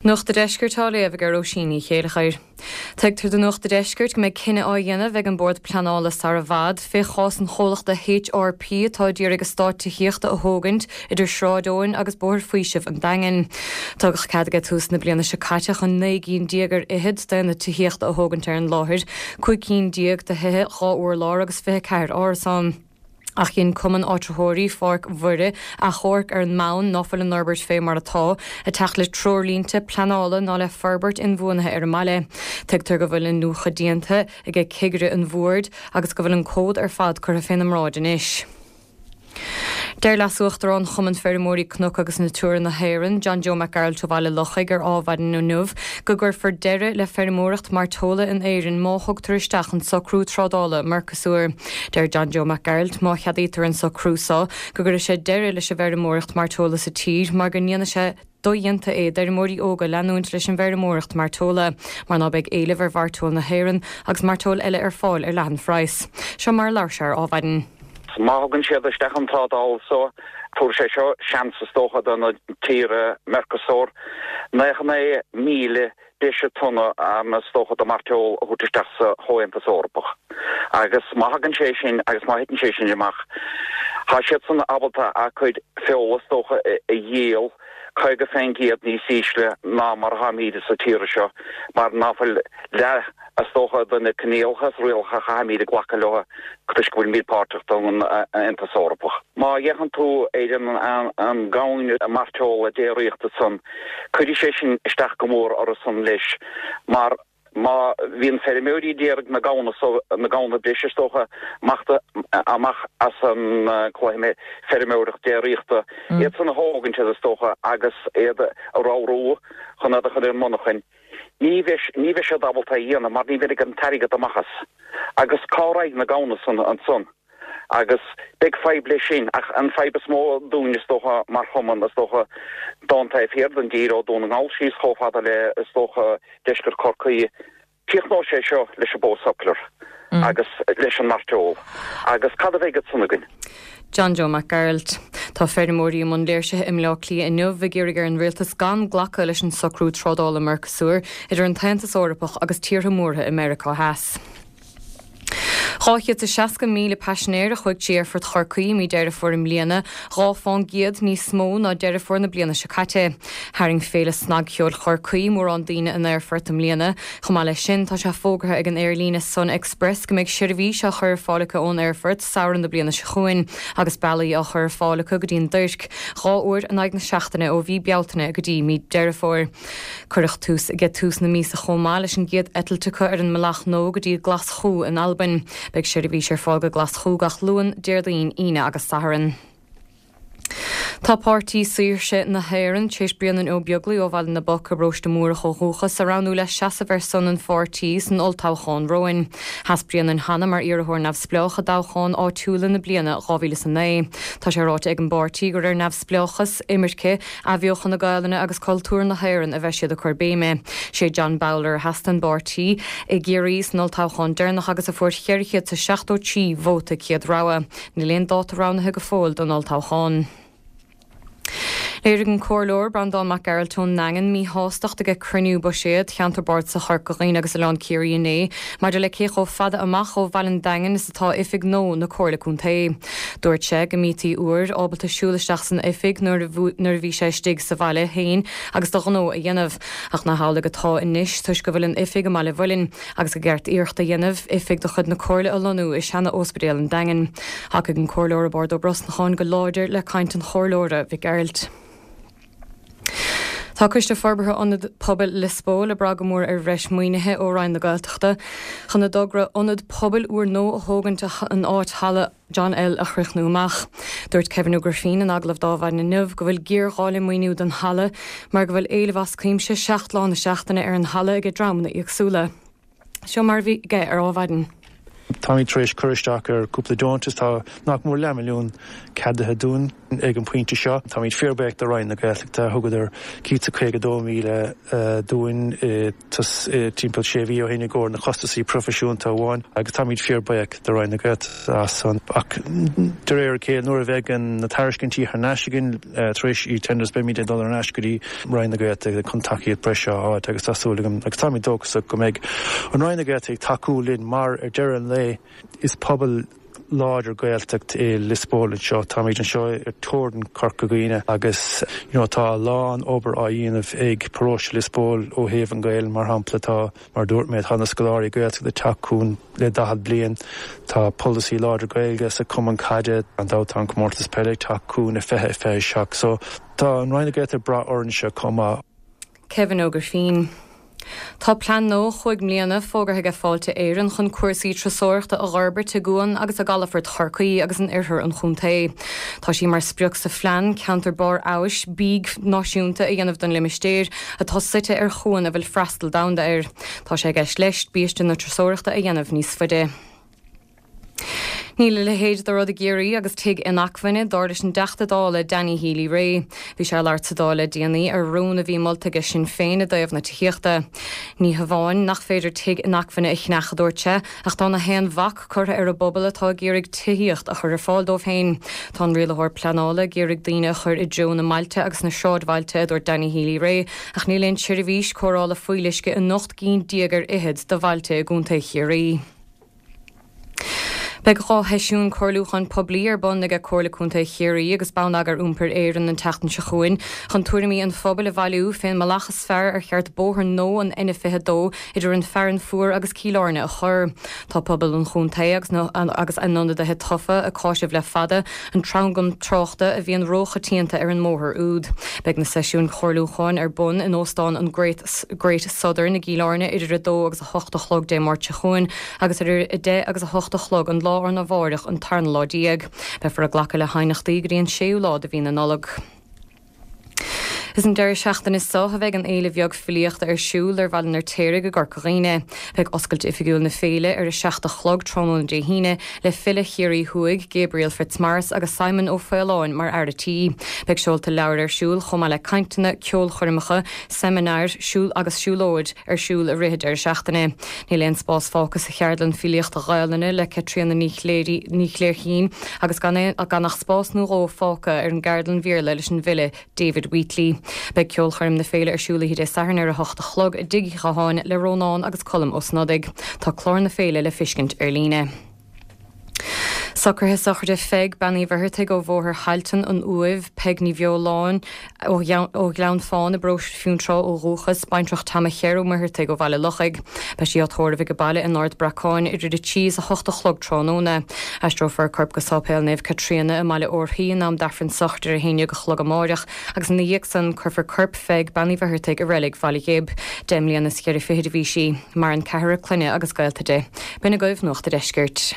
Nuacht a' Deiscirt á léamh ag Róisín Ní Chéilleachair. Tuigtear do Nuacht a' Deiscirt go mbeidh cinneadh á dhéanamh ag an Bord Pleanála sara bhfad fé chás an chomhlachta HRP atá d'iarraidh eastát tithíochta a thógaint idir Sráid Eoin agus Bóthar Faoisimh an Daingin. Tugadh cead aige tús na bliana seo caite chun 19 gcinn ar fhichead d'aonaid tithíochta a thógaint ar an láthair, 15 cinn de thithe 2 urlár agus 24 árasán. Ach dhein Cumann Áitritheoirí Pháirc Mhuire achomharc ar an mbonn ná fuil an fhorbairt fé mar atá ag teacht le treoirlínte pleanála ná le forbairt inbhuanaithe ar an mbaile. Tuigtear go bhfuil iniúchadh déanta aige cigire an bhoird agus go bhfuil an comhad ar fad curtha féna mbráid anois. Deir Leas-Uachtarán Chumann Feirmeoirí Cnoc agus Natura na hÉireann, John Joe Mac Gearailt ó Bhaile Lochaigh ar Ádhmhaidin inniu go gcuirfear deireadh le feirmeoireacht mairteola in Éirinn má thugtar isteach an socrú trádála Mercosur. Deir John Joe Mac Gearailt má cheadaítear an socrú so go gcuirfidh sé deireadh leis an bhfeirmeoireacht mairteola sa tír mar go ndéanfaidh sé dodhéanta é d'fheirmeoirí óga leanúint leis an bhfeirmeoireacht mairteola mar ná beidh éileamh ar mhairteoil na hÉireann agus mairteoil eile ar fáil ar leathan-phraghas. Seo mar a labhair sé ar Ádhmhaidin. Má thugann siad isteach an trádáil so, tabharfaidh sé seo seans is dócha do na tíortha Mercosur 99,000 breise tonna is dócha de mhairteoil a thabhairt isteach sa Chomhaontas Eorpach. Agus má thagann sé sin agus má thiteann sé sin amach, tá siadsan ábalta a gcuid feola is dócha a dhíol 50% níos ísle ná mar atáimíd sa tír seo mar ná fuil leath is dócha de na coinníollacha is rialacha a chaithfimíd a glacadh leo toisc go bhfuilimíd páirteach don Aontas Eorpach. Má fhéachann tú ar an gamhain mairteola déiríochta san, Cuirfidh sé sin isteach go mór orthusan leis mar má bhíonn feirmeoirí d'iarraidh na gamhna so, na gamhna breise is dócha, amach, amach as an cluiche feirmeoireacht déiríochta, iad san a thógaint is dócha agus iad a ramhrú chun iad a chur ar an monarchain, ní bheidh, ní bheidh siad ábalta é a dhéanamh mar ní bheidh an t-airgead amach as. Agus cá raghaidh na gamhna san ansan? Agus beidh fadhb leis sin, ach an fadhb is mó dúinn is dócha mar chumann, is dócha, don taobh thiar den dtír, ó Dún na nGall síos chomh fada le, is dócha, deisceart Chorcaí, críochnóidh sé seo leis an bó suckler agus leis an mairteoil. Agus cad a bheidh ansan againn? John Joe Mac Gearailt. Tá feirmeoirí i mbun léirsithe i mBleá Cliath inniu ag iarraidh ar an rialtas gan glacadh leis an socrú trádála Mercosur idir an tAontas Eorpach agus tíortha múrtha i Meiriceá Theas. 260,000 paisinéir a chuaigh trí Aerfort Chorcaí i mí Deireadh Fómhair i mbliana, 2 fán gcéad níos mó ná Deireadh Fómhair na bliana seo caite. Tharraing Féile Snagcheoil Chorcaí mórán daoine an aerfort i mbliana. Chomh maith leis sin, tá sé fógartha ag an aerlíne Sun Express go mbeidh seirbhís á chur ar fáil acu ón aerfort samhradh na bliana seo chugainn agus bealaí á chur ar fáil acu go dtí an Tuirc 2 uair in aghaidh na seachtaine ó mhí Bealtaine go dtí mí Deireadh Fómhair. Cuireadh tús aige tús na míosa chomh maith leis an gcéad eitilt acu ar an mbealach nua go dtí Glaschú in Albain. Beidh seirbhís ar fáil go Glaschú gach Luan, Déardaoin, Aoine agus Satharn. Tá Páirtí Saoirse na hÉireann tar éis Bréanainn Ó Beaglaoi ó Bhaile na bPoc i bParóiste Múrach ó dhúchas a roghnú le seasamh ar son an pháirtí san olltoghchán romhainn. Sheas Bréanainn cheana mar iarrthóir neamhspleách i dtoghcháin áitiúla na bliana 2009. Tá sé ráite ag an bpáirtí gur ar neamhspleáchas, imirce, Athbheochan na Gaelainne agus cultúr na hÉireann a bheidh siad ag cur béime. Sé John Bowler a sheas don bpáirtí i gCiarraí san olltoghchán deireanach agus a fuair 473 vóta céad rogha. Níl aon dáta roghnaithe go fóill don olltoghchán. Léirigh an Comhairleoir Breandán Mac Gearailt ón nDaingean míshástacht aige cruinniú buiséad Cheantar Bardasach Chorca Dhuibhne agus Oileán Ciarraí inné maidir le cé chomh fada amach ó bhaile an Daingin is atá oifig nua na Comhairle Contae. Dúirt sé go mbítí uair ábalta siúl isteach san oifig nuair a bhí sé istigh sa bhaile féin agus do ghnó a dhéanamh, ach nach amhlaidh atá anois toisc go bhfuil an oifig i mBaile Mhuilinn agus gur cheart iarracht a dhéanamh oifig de chuid na Comhairle a lonnú i seana-óspidéal an Daingin. Thacaigh an Comhairleoir Roibeárd Ó Brosnacháin go láidir le caint an Chomhairleora Mhic Gearailt. Tá Coiste Forbartha Ionad Pobail Liospóil ag brath go mór ar bhreis maoinithe ó Roinn na Gaeltachta chun a dtogra ionad pobail úrnua a thógaint in áit Halla John L a chríochnú amach. Dúirt Kevin Ó Grifín in agallamh d'Adhmhaidin inniu go bhfuil géarghá le maoiniú don halla mar go bhfuil éileamh as cuimse 7 lá na seachtaine ar an halla aige dreamanna éagsúla. Seo mar a bhí aige ar Adhmhaidin. Táimid tar éis cur isteach ar cúpla deontas, tá nach mór leathmhilliún ceadaithe dúinn ag an bpointe seo. Táimid fíorbhuíoch de Roinn na Gaeltachta, thugadar 152,000 dúinn timpeall sé mhí ó shin i gcomhair na costasaí proifisiúnta amháin agus táimid fíorbhuíoch de Roinn na Gaeltachta as san. Ach de réir a chéile, nuair a bheidh na tairiscintí thar n-ais againn tar éis eTenders, beimid ag dul ar ais go dtí Roinn na Gaeltachta chun tacaíocht breise a fháilt agus tá súil agam agus táimid dóchasach go mbeidh an Roinn na Gaeltachta ag tacú linn mar ar deireadh an lae is pobal láidir Gaeltacht é Lios Póil anseo. Táimid anseo ar teorainn Chorca Dhuibhne agus you know tá a lán obair á dhéanamh ag paróiste Lios Póil ó thaobh an Ghaelainn mar shampla tá mar a dúirt mé tá na scoláirí Gaeltachta ag teacht chugainn le 40 bliain. Tá polasaí láidir Gaeilge sa chumann caide. Gan dabht tá an comórtas peile ag teacht chugainn i 2027 so tá an Roinn na Gaeltachta ag brath orainne chomh maith. Kevin Ó Grifín. Tá plean nua chúig mbliana fógartha aige Fáilte Éireann chun cúrsaí turasóireachta a dh'fhorbairt i gcuan agus i gcalafort Chorcaí agus in oirthear an chontae. Tá sí mar sprioc sa phlean ceantar barr fheabhais bídh náisiúnta a dhéanamh don limistéir atá suite ar chuan a bhfuil freastal domhanda air. Tá sé i gceist leis biaiste na turasóireachta a dhéanamh níos faide. Níl a leithéid de rud i gCiarraí agus tigh inacmhainne, dar leis an dTeachta Dála Danny Healy-Rae. Bhí sé ag labhairt sa Dáil le déanaí ar rún a bhí molta aige Sinn Féin i dtaobh na tithíochta. Ní hamháin nach féidir tigh inacmhainne a cheannach, a dúirt sé, ach tá na haon bhac curtha ar an bpobal atá ag iarraidh tithíocht a chur ar fáil dóibh féin. Tá an rialaitheoir pleanála ag iarraidh daoine a chur i dtreo na mbailte agus na sráidbhailte, a dúirt Danny Healy-Rae, ach níl aon tseirbhís cóireála fuíolluisce in ocht gcinn déag ar fhichead de bhailte i gContae Chiarraí. Beidh 2 sheisiún comhairliúcháin poiblí ar bun aige Comhairle Contae Chiarraí agus Bonneagar Iompair Éireann an tseachtain seo chugainn chun tuairimí an phobail a bhailiú fén mbealach is fearr ar cheart bóthar nua an N22 idir an Fearann Fuar agus Cill Airne a chur. Tá pobal an chontae agus agus a n-ionadaithe tofa ag cáiseamh le fada an tranglam tráchta a bhíonn róchoitianta ar an mbóthar úd. Beidh na seisiúin chomhairliúcháin ar bun in Óstán an Great Southern i gCill Airne idir 2 agus 8 a chlog Dé Máirt seo chugainn agus idir 10 agus 8 a chlog an lá arna mháireach an tarna lá déag. Beifear ag glacadh le haighneachtaí go dtí an séú lá de mhí na Nollag. Is an deireadh seachtaine seo a bheidh an Fhéile Bheag Filíochta ar siúl ar Bhaile an Fheirtéaraigh i gCorca Dhuibhne. Beidh oscailt oifigiúil na féile ar 7 a chlog tráthnóna Dé hAoine le file Chiarraí Thuaidh, Gabriel Fitzmaurice agus Simon Ó Faoláin mar fhear a tí. Beidh seolta leabhar ar siúl chomh maith le cainteanna, ceolchoirmeacha, seimineáir, siúl agus siúlóid. ar siúl i rith an deireadh seachtaine. Níl aon spás fágtha sa cheardlann filíochta Ghaelainne le Caitríona Ní Chléirchín agus gan gan ach spás nó dhó fágtha ar an gceardlann Bhéarla leis an bhfile David Wheatley. Beidh ceolchoirm na féile ar siúl oíche Dé Sathairn ar 8 a chlog i dTigh Uí Chatháin le Rónán agus Colm Ó Snodaigh. Tá clár na féile le fiscint ar líne. Socruithe sochraide Pheig, Bean Uí Mhuircheartaigh ó Bhóthar Thailtean, An Uaimh, Peig Ní Bheoláin ó Ghleann Fáin i bparóiste Fionntrá ó dhúchas, baintreach Tom Cher Ó Muircheartaigh ó Bhaile Lochaigh. Beidh sí á tórramh ag baile in Ard Bracáin idir 3 is 8 a chlog tráthnóna. Aistreofar a corp go Sáipéal Naomh Caitríona i mBaile Órthaí in am d'Aifreann sochraide ar 11 a chlog amáireach agus ina dhiaidh san cuirfear corp Pheig, Bean Uí Mhuircheartaigh i reilig Bhaile Ghib. 10 mbliana is cheithre fichid a bhí sí. Maireann ceathrar clainne agus gaolta di. B'in agaibh Nuacht a' Deiscirt.